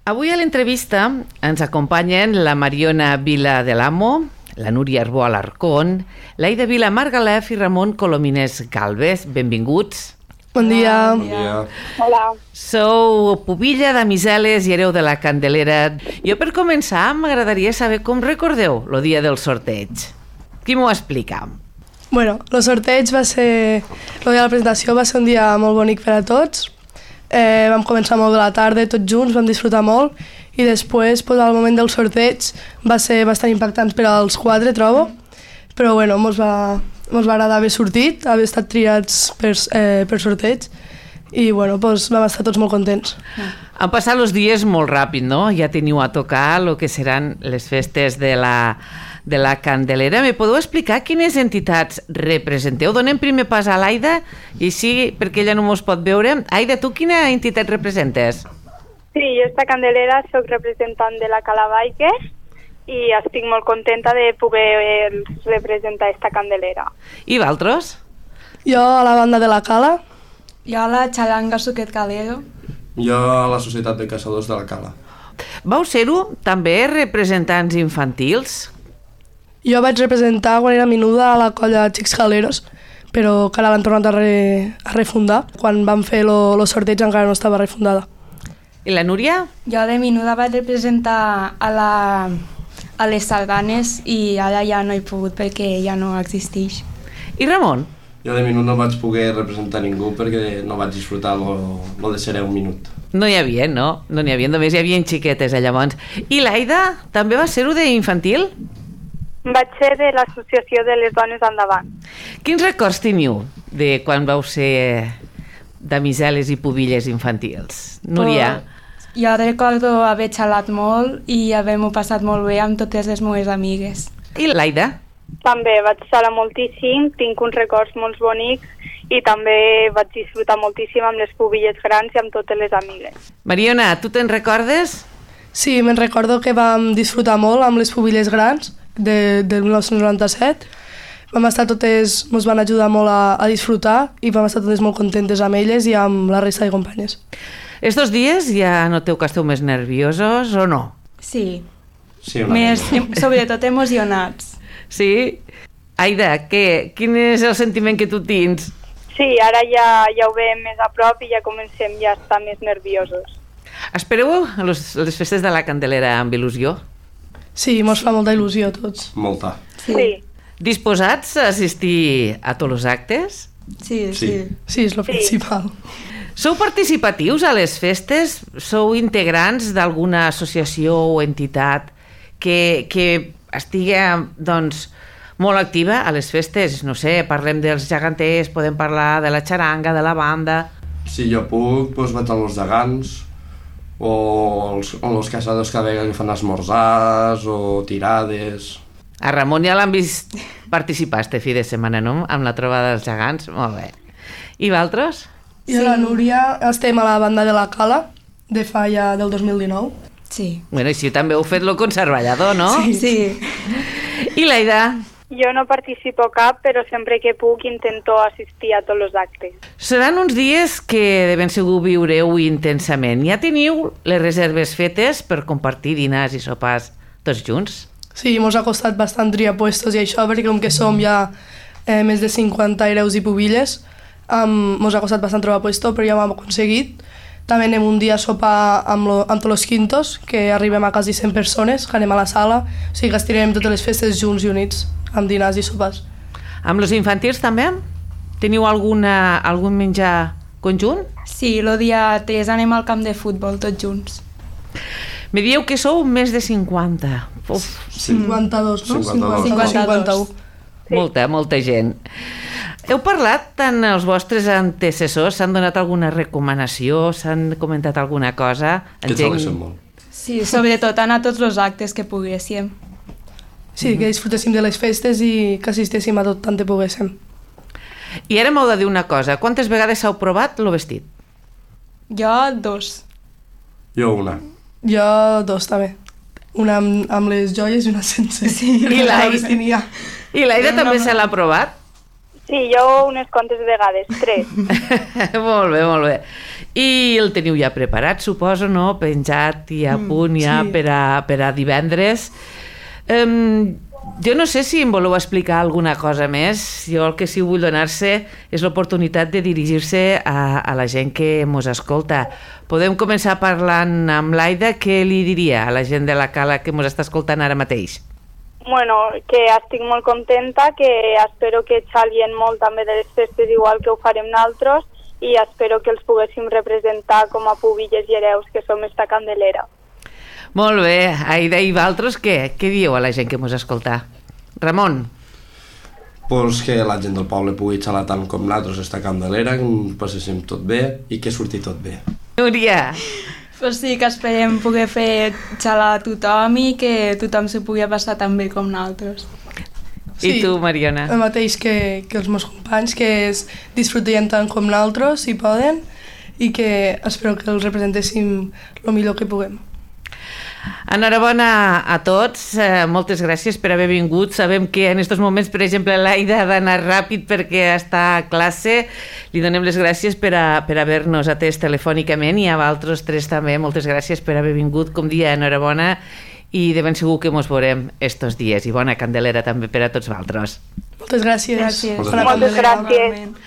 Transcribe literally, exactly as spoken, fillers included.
Avui a l'entrevista ens acompanyen la Mariona Vila de l'Amo, la Núria Arbó Alarcón, l'Aida Vila Margalef i Ramon Colomines Galvez. Benvinguts. Bon dia. Bon dia. Hola. Sou pubilla de Miseles i hereu de la Candelera. Jo, per començar, m'agradaria saber com recordeu el dia del sorteig. Qui m'ho explica? Bueno, el sorteig va ser... El dia de la presentació va ser un dia molt bonic per a tots. Eh, vam començar molt de la tarda, tots junts, vam disfrutar molt, i després, pues, al moment del sorteig, va ser bastant impactant per als quatre, trobo. Però, bueno, mos va, mos va agradar haver sortit, haver estat triats per, eh, per sorteig, i, bueno, pues, vam estar tots molt contents. Han passat els dies molt ràpid, no? Ja teniu a tocar el que seran les festes de la, de la Candelera. Me podeu explicar quines entitats representeu? Donem primer pas a l'Aida, i sí, perquè ella no mos pot veure. Aida, tu quina entitat representes? Sí, jo esta Candelera soc representant de la Cala Biker i estic molt contenta de poder representar esta Candelera. I vosaltres? Jo a la banda de la Cala. Jo a la Xalanga Suquet Calero. Jo a la Societat de Caçadors de la Cala. Vau ser-ho també representants infantils? Jo vaig representar quan era menuda a la colla Xics Caleros, però que ara l'han tornat a, re, a refundar. Quan vam fer el sorteig encara no estava refundada. I la Núria? Jo de menuda vaig representar a, la, a les Sardanes i ara ja no he pogut perquè ja no existeix. I Ramon? Jo de minut no vaig poder representar ningú perquè no vaig disfrutar lo, lo de ser un minut. No hi havia, no? No n'hi havia, només hi havia xiquetes allà llavors. I l'Aida també va ser-ho d'infantil? Vaig ser de l'Associació de les Dones Endavant. Quins records teniu de quan vau ser damiseles i pubilles infantils? Núria? Però jo recordo haver xalat molt i haver-m'ho passat molt bé amb totes les meves amigues. I l'Aida? També vaig xalar moltíssim, tinc uns records molt bonics i també vaig disfrutar moltíssim amb les pubilles grans i amb totes les amigues. Mariona, tu te'n recordes? Sí, me'n recordo que vam disfrutar molt amb les pubilles grans de, del mil nou-cents noranta-set. Vam estar totes, ens van ajudar molt a, a disfrutar i vam estar totes molt contentes amb elles i amb la resta de companyes. Estos dies ja noteu que esteu més nerviosos o no? Sí, Sí, una més, mica. sobretot emocionats. Sí? Aida, què? Quin és el sentiment que tu tens? Sí, ara ja, ja ho veiem més a prop i ja comencem ja a estar més nerviosos. Espereu les, les festes de la Candelera amb il·lusió? Sí, mos fa molta il·lusió a tots. Molta. Sí, Sí. Disposats a assistir a tots els actes? sí, sí. Sí. Sí, és el Sí. principal. Sou participatius a les festes? Sou integrants d'alguna associació o entitat que, que estigui, doncs, molt activa a les festes? No sé, parlem dels geganters, podem parlar de la xaranga, de la banda... Si jo puc, doncs vaig als gegants o els, o els caçadors que veuen que fan esmorzars o tirades. A Ramon ja l'han vist participar este fi de setmana, no? Amb la trobada dels gegants. Molt bé. I vosaltres? I la Núria estem a la banda de la Cala, de fa ja del dos mil dinou. Sí. Bueno, i si també heu fet lo conservallador, no? Sí. sí. I l'Aida? Jo no participo cap, però sempre que puc intento assistir a tots els actes. Seran uns dies que de ben segur viureu intensament. Ja teniu les reserves fetes per compartir dinars i sopars tots junts? Sí, mos ha costat bastant triar puestos i això, perquè com que som ja eh, més de cinquanta hereus i pubilles, um, mos ha costat bastant trobar puesto, però ja ho hem aconseguit. També anem un dia a sopar amb, lo, amb tots els quintos, que arribem a quasi cent persones, que anem a la sala, o sigui que estirem totes les festes junts i units, amb dinars i sopars. Amb els infantils també? Teniu alguna, algun menjar conjunt? Sí, el dia tres anem al camp de futbol tots junts. Me dieu que sou més de cinquanta. Uf, Sí. cinquanta-dos, no? cinquanta-dos. cinquanta-u. Sí. molta, molta gent. Heu parlat tant els vostres antecessors? S'han donat alguna recomanació? S'han comentat alguna cosa? Que ens alegrem molt. Sí, sobretot anar a tots els actes que poguéssim. Sí, que disfrutéssim de les festes i que assistéssim a tot tant que poguéssim. I ara m'heu de dir una cosa. Quantes vegades heu provat el vestit? Jo, dos. Jo una. Jo dos també. Una amb, amb les joies i una sense. Sí. I l'Aida? vestimia. I l'Aida també se l'ha provat? Sí, jo unes quantes vegades, tres. Molt bé, molt bé. I el teniu ja preparat, suposo, no? Penjat i a punt ja sí. per, a, per a divendres. Um, jo no sé si em voleu explicar alguna cosa més. Jo el que sí vull donar-se és l'oportunitat de dirigir-se a, a la gent que mos escolta. Podem començar parlant amb l'Aida. Què li diria a la gent de la Cala que mos està escoltant ara mateix? Bueno, que estic molt contenta, que espero que xalien molt també de les festes igual que ho farem naltros i espero que els poguéssim representar com a pubilles i hereus que som esta Candelera. Molt bé, Aida, i vosaltres què? Què dieu a la gent que mos escolta? Ramon? Pues que la gent del poble pugui xalar tant com nosaltres esta Candelera, que ens passéssim tot bé i que surti tot bé. Núria? Pues sí, que esperem poder fer xalar a tothom i que tothom s'ho pugui passar tan bé com nosaltres. Sí, I tu, Mariona? El mateix que, que els meus companys, que es disfrutarien tant com nosaltres, si poden, i que espero que els representéssim el millor que puguem. Enhorabona a tots, eh, moltes gràcies per haver vingut. Sabem que en aquests moments, per exemple, l'Aida ha d'anar ràpid perquè està a classe. Li donem les gràcies per, a, per haver-nos atès telefònicament i a vosaltres tres també moltes gràcies per haver vingut. Com dia, enhorabona i de ben segur que mos veurem estos dies. I bona Candelera també per a tots vosaltres. Moltes gràcies. Gràcies. Bona Moltes Candelera. gràcies.